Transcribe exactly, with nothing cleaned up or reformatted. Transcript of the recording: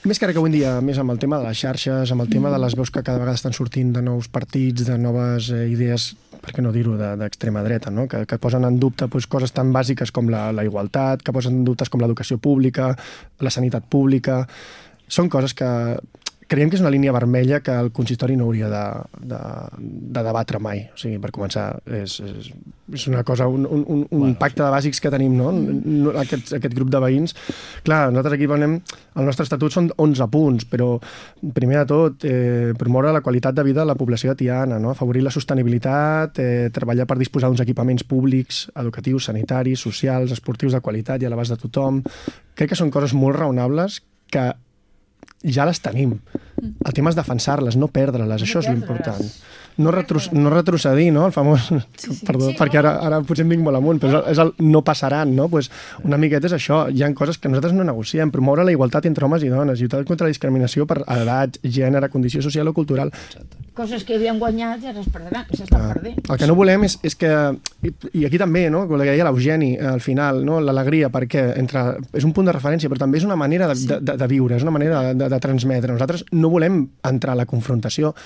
Més que ara que avui en dia, més amb el tema de les xarxes, amb el tema de les veus que cada vegada estan sortint de nous partits, de noves eh, idees, per què no dir-ho, d'extrema dreta, no? que, que posen en dubte pues, coses tan bàsiques com la, la igualtat, que posen en dubtes com l'educació pública, la sanitat pública. Són coses que creiem que és una línia vermella que el consistori no hauria de, de, de debatre mai. O sigui, per començar, és, és, és una cosa, un, un, un bueno, pacte de bàsics que tenim, no? no aquest, aquest grup de veïns. Clar, nosaltres aquí venem, el nostre estatut són onze punts, però primer de tot, eh, promoure la qualitat de vida de la població de Tiana, no? Afavorir la sostenibilitat, eh, treballar per disposar d'uns equipaments públics, educatius, sanitaris, socials, esportius de qualitat i a l'abast de tothom. Crec que són coses molt raonables que ja les tenim. El tema és defensar-les, no perdre-les, això és l'important. No, retro, no retrocedir, no? El famós... Sí, sí. Perdó, sí, perquè ara, ara potser em vinc molt amunt, però és el no passaran, no? Pues una miqueta és això. Hi ha coses que nosaltres no negociem. Promoure la igualtat entre homes i dones, lluitar contra la discriminació per edat, gènere, condició social o cultural. Coses que havien guanyat i ara es perdran, s'estan ah, perdent. El que no volem és, és que... I, I aquí també, no? Com que deia l'Eugeni, al final, no? L'alegria, perquè entre, és un punt de referència, però també és una manera de, sí. de, de, de viure, és una manera de, de, de transmetre. Nosaltres no volem entrar a la confrontació.